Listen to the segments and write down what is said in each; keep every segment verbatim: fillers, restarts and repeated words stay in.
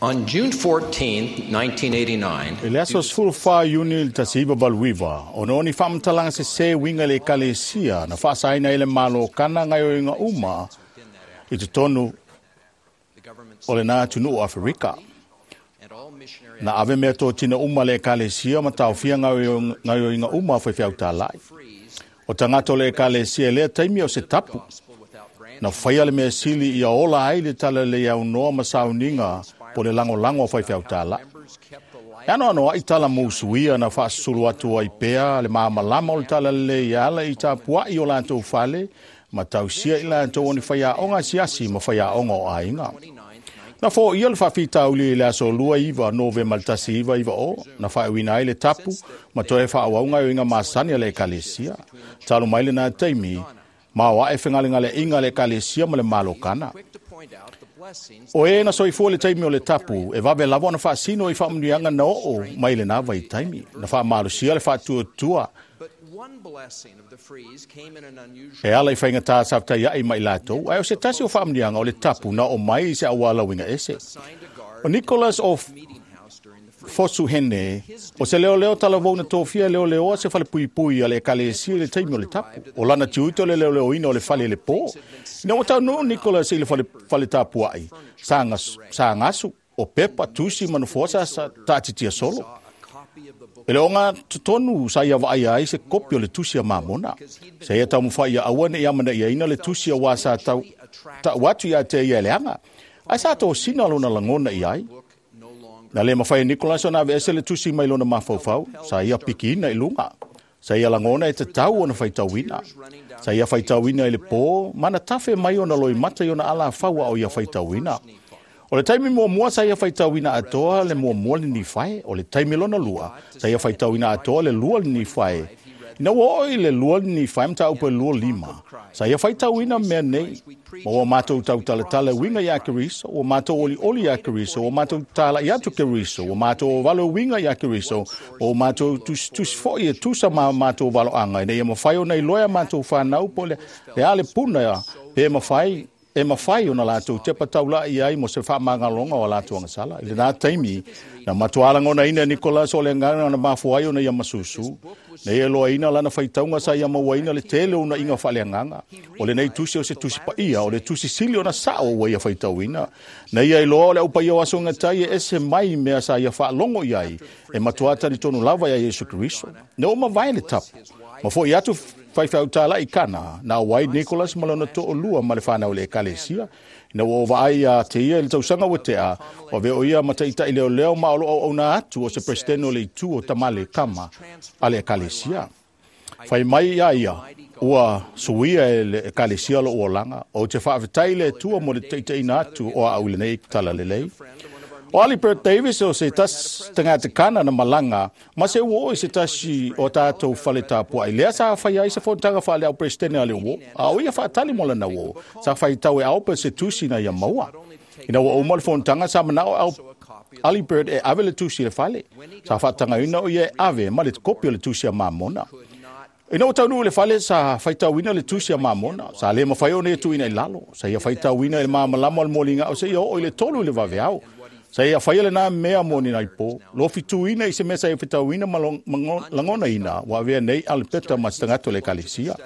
On June fourteenth, nineteen eighty-nine, I le aso sefulu fa Iuni le tasi iva valu iva, ona o ni faamatalaga sesē uiga i le ekalesia na faasaina ai le Malo o Kana gaoioiga uma i totonu o lena atunuu o Aferika. Na ave mea totina uma le ekalesia ma taofia gaoioiga uma a faifeau tālai. O tagata o le ekalesia i lea taimi o se tapu. Na faia le mea sili ia ola ai le talalelei aunoa ma sauniga po le lagolago a faifeau tālai. E anoanoaʻi tala mousuia na faasusulu atu ai pea le malamalama o le talalelei e ala i tapuaʻi o latou fale ma tausia i latou o ni faiaoga asiasi ma faiaoga o aiga. Na foia le faafitauli i le aso lua iva Novema le tasi iva iva o, na faauina ai le tapu ma toe faaauau gaoioiga masani a le ekalesia. Talu mai lena taimi, ma o ae fegalegaleaiga a le ekalesia ma le Malo Kana. O e na soifua le taimi o le tapu, e vave lava ona faasino i faamanuiaga na oo mai lena vaitaimi. Na faamalosia le faatuatua e ala i faigata sa fataiaʻi ma i latou, ae o se tasi o faamanuiaga o le tapu na oo mai i se auala uiga ese. O Nicholas o Fosuhene, o se leoleo talavou na tofia e leoleoa se falepuipui a le ekalesia i le taimi o le tapu. O lana tiute o le leoleoina o le fale i le pō. Ina ua taunuu Nicholas i le fale, fale tapuaʻi, sa, gas, sa gasu, o pepa, tusi ma nofoa sa, sa taatitia solo. E le oga totonu sa ia vaaia ai se kopi o le tusi a Mamona. Sa ia taumafai ia aua neʻi amanaʻiaina le tusi auā sa tau taʻu atu ia te ia e leaga. Ae sa tosina lona lagona i ai. Na le mafai e Nicholas ona aveese le tusi mai lona mafaufau, sa ia pikiina i luga. Sa ia lagona e tatau ona faitauina. Sa ia faitauina i le pō, ma na tafe mai ona loimata i ona alafau a o ia faitauina. O le taimi muamua sa ia faitauina atoa le muamua le Nifae, o le taimi lona lua, sa ia faitauina atoa le lua le Nifae. Ina ua oo i le lua le Nifae mataupu e lua lima, sa ia faitauina mea nei, ma ua matou tautalatala e uiga iā Keriso, ua matou olioli iā Keriso, ua matou tālaʻi atu Keriso, ua matou ovalo e uiga iā Keriso, ma ua matou tusitusi foʻi e tusa ma matou valoaga, ina ia mafai ona iloa e a matou fanau po o le a le puna pe mafai e mafai ona latou tepa taulaʻi ai mo se faamagaloga o a latou agasala. I lena taimi, na matuā lagonaina e Nicholas o le agaga na mafua ai ona ia masusu. Na ia iloaina lana faitauga sa ia mauaina le tele o uunaʻiga faaleagaga. O lenei tusi o se tusi paia, o le tusi sili ona saʻo ua ia faitauina. Na ia iloa o le aupaia o aso gatai e ese mai mea sa ia faalogo i ai, e matuā talitonu lava iā Iesu Keriso. Na ua mavae le tapu, ma foʻi atu faifeau tālai i Kana, na auai Nicholas ma lona toʻolua ma le fanau i le ekalesia. Ina ua ou vaai iā te ia i le tausaga ua teʻa, ua avea o ia ma taʻitaʻi leoleo ma o loo auauna atu o se peresetene o le itu o Tamale Kama a le ekalesia. Fai mai iā ia, ua suia e le ekalesia loʻu olaga, ou te faafetai i le Atua mo le taʻitaʻina atu o aʻu i lenei talalelei. O Ali Bert Davis o se tasi tagata Kana na malaga ma se uō i se tasi o tatou fale tapuaʻi lea sa faia ai se fonotaga faale-au-peresetene a le uō, a o ia faatali mo lana uō, sa faitau e Albert se tusi na ia maua. Ina ua uma le fonotaga sa manaʻo au Ali Bert e ave le tusi i le fale. Sa faatagaina o ia e ave ma le kopi o le tusi a Mamona. Ina ua taunuu i le fale sa faitauina le tusi a Mamona, sa le mafai ona ia tuuina i lalo. Sa ia faitauina i le malamalama o le moligaʻo seia oo i le tolu i le vaveao. Sa ia faia lena mea mo ni nai pō. Lofituina i se mea sa ia faitauina ma lagonaina ua avea nei Alipeta ma se tagata o le ekalesia.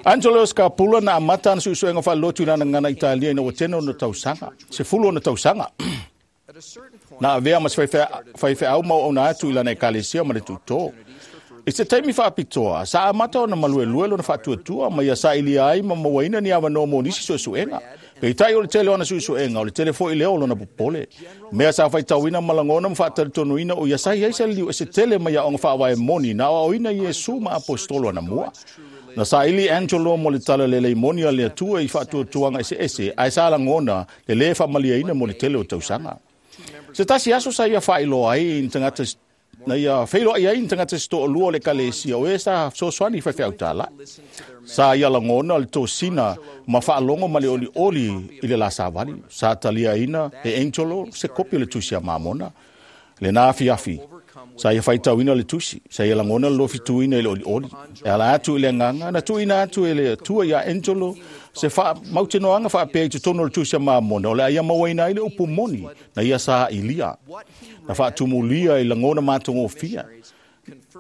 Angelo Scarpulla na amata ana suesuega faalelotu i lana gagana Italia ina ua tene ona tausaga, sefulu ona tausaga. Na avea ma se faifeau ma auauna atu i lana ekalesia ma le tuutō. I se taimi faapitoa, sa amata ona maluelue lona faatuatua ma ia sailia ai ma mauaina ni avanoa mo nisi suesuega. Peitai o le tele o ana suesuega, o le tele foʻi lea o lona popole. Mea sa faitauina ma lagona ma faatalitonuina o ia sa i ai se liu ese tele mai aoga faavae moni na aoaoina Iesu ma aposetolo anamua. Na saili Angelo mo le talalelei moni a le Atua i faatuatuaga eseese, ae sa lagona le lē faamaliaina mo le tele o tausaga. Se tasi aso sa ia faailoa ai i ni tagata na ia feiloai ai ni tagata se toʻalua o le ekalesia o e sa fesoasoani i faifeau tālaʻi. Sa ia lagona le tosina ma faalogo ma le olioli i le la savali. Sa taliaina e Angelo se kopi o le tusi a Mamona. Lena afiafi, sa ia faitauina le tusi, sa ia lagona le lofituina i le olioli. E ala atu i le agaga, na tuuina atu e le Atua iā Angelo Se faamautinoaga faapea i totonu o le Tusi a Mamona, o le a ia mauaina ai le upu moni na ia sailiia, na faatumulia i lagona matagofie.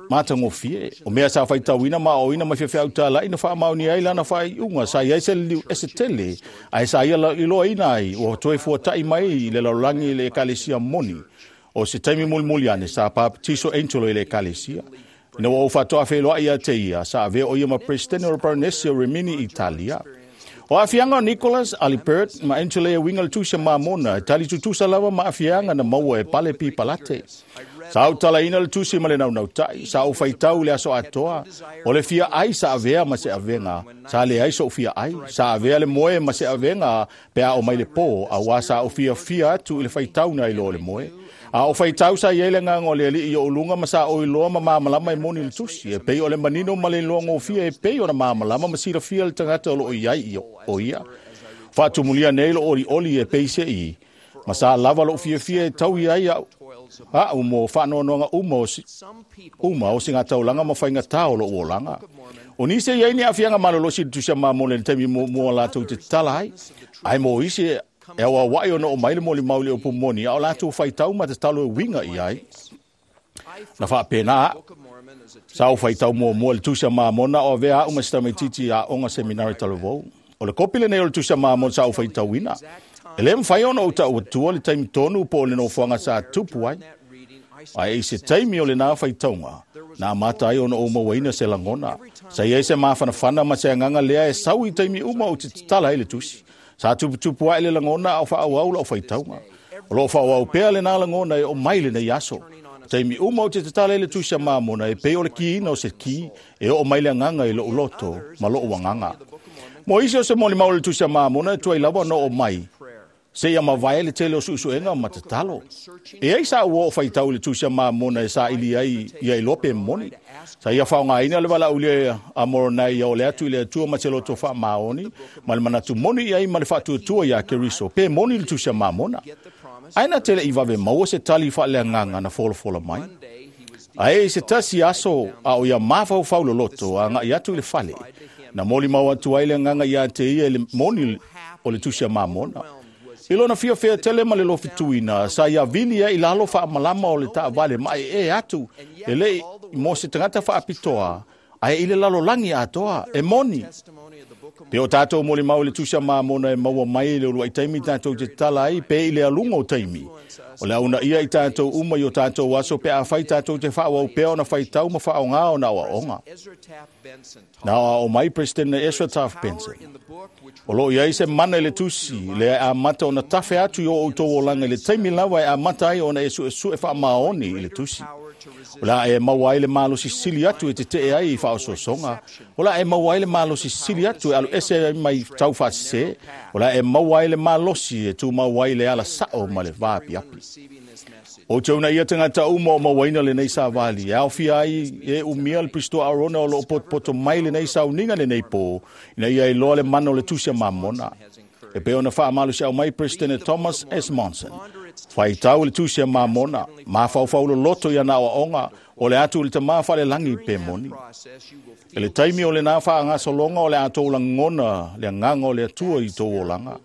Matagofie, o mea sa faitauina ma aoaoina mai faifeau talai na faamaonia ai lana faaiuga sa i ai se liliu ese tele, ae sa ia iloaina ai ua toe fuata'i mai i le lalolagi i le ekalesia moni. O se taimi mulimuli ane sa papatiso Angelo i le ekalesia. Ina ua ou faatoa feiloai ia te ia, sa avea o ia ma Presidente o le Baronesi o Rimini, Italia. O aafiaga o Nicholas, Alibert ma Angelo e uiga i le Tusi a Mamona e tali tutusa lava ma aafiaga na maua e Pale P. Palate. Sa ou talaina le tusi ma le naunautai, sa ou faitau i le aso atoa, o le fia ai sa avea ma se avega, sa leai so'u fia ai, sa avea le moe ma se avega pe a o mai le pō, auā sa ou fiafia atu i le faitau na i lo o le moe. A o faitau sa i ai le agaga o le Alii i ou luga ma sa ou iloa ma malamalama e moni le tusi, e pei o le manino ma le iloagofie e pei ona malamalama ma silafia le tagata o loo i ai o ia. Faatumulia nei lou olioli e peise'i, ma sa lava lou fiafia e taui ai a'u a'u mo faanoanoaga uma o si, uma o sigataulaga ma faigatā o lou olaga. O nisi e i ai ni aafiaga malolosi i le Tusi a Mamona i le taimi muamua latou te tatala ai, ae mo isi e auaua'i ona oo mai le molimau i le upu moni a o latou faitau ma tatalo e uiga i ai. Na faapena a'u. Sa ou faitau muamua i le Tusi a Mamona o avea a'u ma se tamaitiiti aoga seminari talavou. O le kopi lenei o le Tusi a Mamona sa ou faitauina. E lē mafai ona ou ta'u atua le taimi tonu po o le nofoaga sa tupu ai. Ae i se taimi o lenā faitauga, na amata ai ona ou mauaina se lagona. Sa i ai se mafanafana ma se agaga lea e sau i taimi uma ou te tatala ai le tusi. Sa tuputupu ae le lagona a o faaauau la'u faitauga. O loo faaauau pea lenā lagona e oo mai lenei aso. Taimi uma ou te tatala ai le Tusi a Mamona e pei o le kiina o se ki e oo mai le agaga i lo'u loto ma lo'u agaga. Mo isi o se molimau o le Tusi a Mamona e tuai lava ona oo mai seia mavae le tele o su'esu'ega ma tatalo. E ai sa ua o faitau i le Tusi a Mamona e saili ai ia iloa pe moni. Sa ia faaaogaina le valaaulia a Moronai ia ole atu i le Atua ma se loto faamaoni ma le manatu moni i ai ma le faatuatua iā Keriso pe moni le Tusi a Mamona. Ae na te le'i vave maua se tali faaleagaga na folafola mai. Ae i se tasi aso a o ia mafaufau loloto aga'i atu i le fale, na molimau atu ai le agaga iā te ia i le moni o le Tusi a Mamona. I lona fiafia tele ma le lofituina, sa ia vili ai i lalo faamalama o le taavale mae'e atu, e le'i mo se tagata faapitoa, ae i le lalolagi atoa, e moni. Pe o tatou molimau i le Tusi a Mamona e maua mai i le uluai taimi tatou te tatala ai pe i le aluga o taimi. O le a uunaia i tatou uma i o tatou aso pe afai tatou te faaauau pea ona faitau ma faaaogā ona aoaoga. Na aoao mai Peresetene Ezra Taft Benson. O loo i ai se mana i le tusi, lea e amata ona tafe atu i o outou olaga i le taimi lava e amata ai ona e su'esu'e faamaoni i le tusi. O le a e maua ai le malosi sili atu e tete'e ai i faaosoosoga. O le a e maua ai le malosi sili atu e aluese ai mai taufaasesē. O le a e maua ai le malosi e tumau ai le ala sa'o ma le vaapiapi. Ou te uunaia tagata uma o mauaina lenei savali, e aofia ai e umia le Pisitoa Arona o loo potopoto mai lenei sauniga lenei pō, ina ia iloa le mana o le Tusi a Mamona. E pei ona faamalosiau mai Peresetene Thomas S. Monson. Faitau le Tusi a Mamona, mafaufau loloto i ana aoaoga, o le atu i le Tamā faalelagi pe moni. I le taimi o lenā faagasologa o le a tou lagona le agaga o le Atua i tou olaga.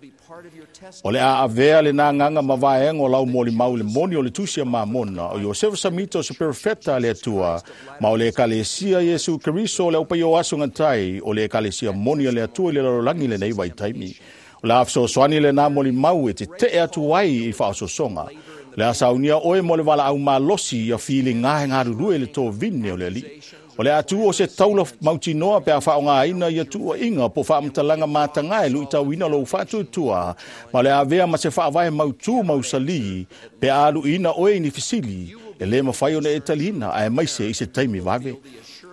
O le a avea lenā agaga ma vaega o lau molimau i le moni o le Tusi a Mamona, o Iosefa Samita o se perofeta a le Atua, ma o le Ekalesia Iesu Keriso o le aupaia o aso gatai, o le Ekalesia moni a le Atua i le lalolagi i lenei vaitaimi. O le a fesoasoani lenā molimau e tete'e atu ai i faaosoosoga. O le a saunia oe mo le valaau malosi ia filiga e galulue i le tovine o le Alii. O le a tū o se taula mautinoa pe a faaaogāina ia tuua'iga po o faamatalaga matagā e lu'itauina lou faatuatua, ma o le a avea ma se faavae mautū mausalī pe a alu'iina oe i ni fesili e lē mafai ona e taliina aemaise i se taimi vave.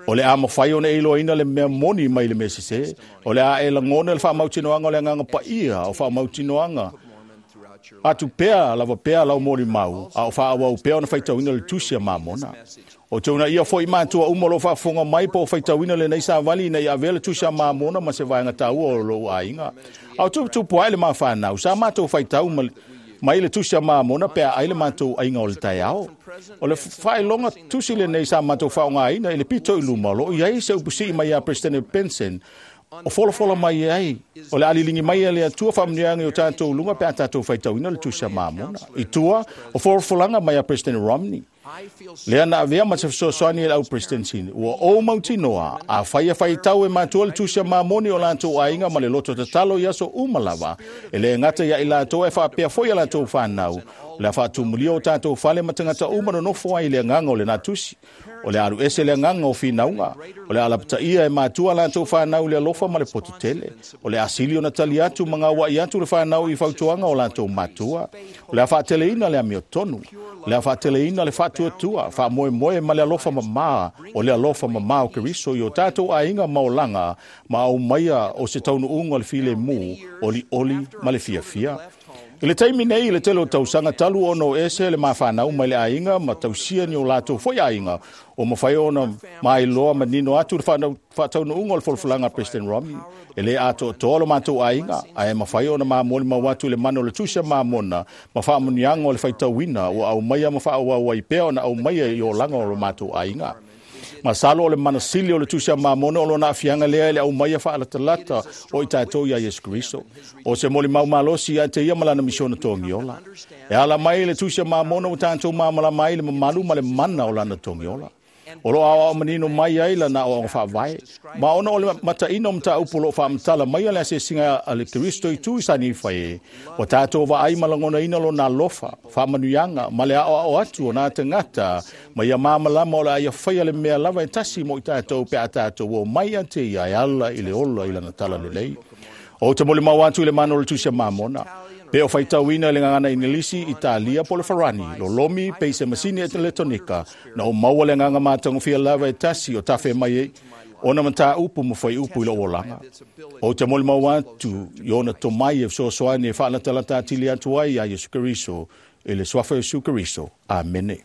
O le a mafai ona e iloaina le mea moni mai le mea sesē. O le a e lagona le faamautinoaga o le Agaga Paia o faamautinoaga atu pea lava pea lau molimau a o faaauau pea ona faitauina le Tusi a Mamona. O te uunaia fo'i matua uma o loo faafofoga mai po o faitauina lenei savali ina ia avea le Tusi a Mamona ma se vaega taua o lou aiga. A o tuputupu ae le mafanau, sa matou faitau mai le Tusi a Mamona pe a ai le matou aiga o le taeao. O le faailoga tusi lenei sa matou faaaogāina i le pito i luma o loo i ai se upusii mai iā Peresetene Benson O folafola mai ai, o le aliligi mai e le Atua faamanuiaga i o tatou luga pe a tatou faitauina le Tusi a Mamona. I tua, o folafolaga mai a President Romney, lea na avea ma se fesoasoani i le au presidency, ua ou mautinoa, afai e faitau e matua le Tusi a Mamoni o latou aiga ma le loto tatalo i aso uma lava, e le gata ia i latou e faapea foi a latou whanau, o le a faatumulia o tatou fale ma tagata uma nonofo ai i le agaga o lena tusi. O le alu ese le agaga o finauga, o le alapataia e matua latou whanau le alofa ma le poto tele. O le asili o na tali atu ma ngauai atu le whanau i fautuaga o latou matua. O le a faateleina le amiotonu, o le a faateleina le faatuatua, faamoemoe ma le alofa mamā, o le alofa mamā o Keriso i o tatou aiga maolaga, ma aumaia o se taunuuga o le filemu, olioli ma le fiafia. I le taimi nei, i le tele o tausaga talu ona o ese le mafanau mai le aiga ma tausia ni o latou foi aiga, o mawhai ona mailoa manino atu le faataunuuga o le folafolaga a President Romney. E le atoatoa lo matou aiga, ae mawhai ona mamoli mau atu le mana o le Tusi a Mamona ma faamanuiaga o le faitauina ua aumaia ma faaauau ai pea ona aumaia i olaga o lo matou aiga. Masalo o le manasili o le Tusi a Mamona o lona afiaga lea e le aumaia faalatalata o i tatou ia Iesu Keriso. O se molimau malosi ia te ia ma lana misiona togiola. E ala mai le Tusi a Mamona o tatou mamalama ai le mamalu ma le mana o lana togiola. O lo aoao manino mai ai lana aoaoga faavae. Ma ona o le mataina o mataupu o lo o faamatala mai a le asiasiga a le Keriso i tu i sanifa e, o tatou vaai ma lagonaina lona alofa, faamanuiaga ma le aoao atu o nā tagata, ma ia mamalama o le a ia faia le mea lava e tasi mo i tatou pe a tatou o mai a te ia e ala i le ola i lana talalelei. O te molimau atu i le mana o le Tusi a Mamona, pe o faitauina i le gagana Inilisi, Italia po le Farani, lolomi pe i se masini eletonika, na o maua le agaga matagofia lava e tasi o tafe mai ai, ona mataupu ma faiupu i lou olaga. O te molimau atu i ona tomai e fesoasoani e faalatalata atili atu ai ia Iesu Keriso, i le suafa o Iesu Keriso. Amene.